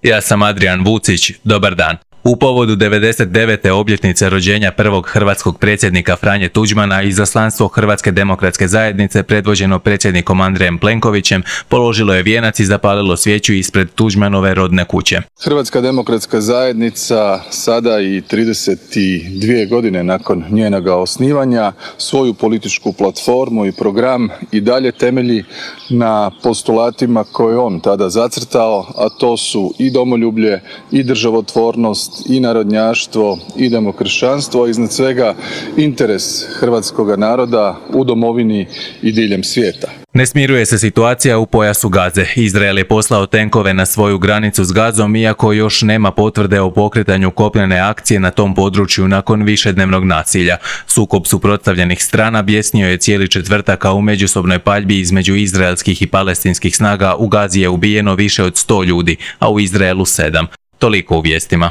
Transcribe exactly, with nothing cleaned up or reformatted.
Ja sam Adrian Vucić, dobar dan. U povodu devedeset devete obljetnice rođenja prvog hrvatskog predsjednika Franje Tuđmana, izaslanstvo Hrvatske demokratske zajednice predvođeno predsjednikom Andrejem Plenkovićem položilo je vijenac i zapalilo svijeću ispred Tuđmanove rodne kuće. Hrvatska demokratska zajednica sada i trideset dvije godine nakon njenoga osnivanja svoju političku platformu i program i dalje temelji na postulatima koje on tada zacrtao, a to su i domoljublje, i državotvornost, i narodnjaštvo, i demokršćanstvo, a iznad svega interes hrvatskoga naroda u domovini i diljem svijeta. Ne smiruje se situacija u pojasu Gaze. Izrael je poslao tenkove na svoju granicu s Gazom, iako još nema potvrde o pokretanju kopnene akcije na tom području nakon višednevnog nasilja. Sukob suprotstavljenih strana bjesnio je cijeli četvrtak, a u međusobnoj paljbi između izraelskih i palestinskih snaga u Gazi je ubijeno više od sto ljudi, a u Izraelu sedam. Toliko u vijestima.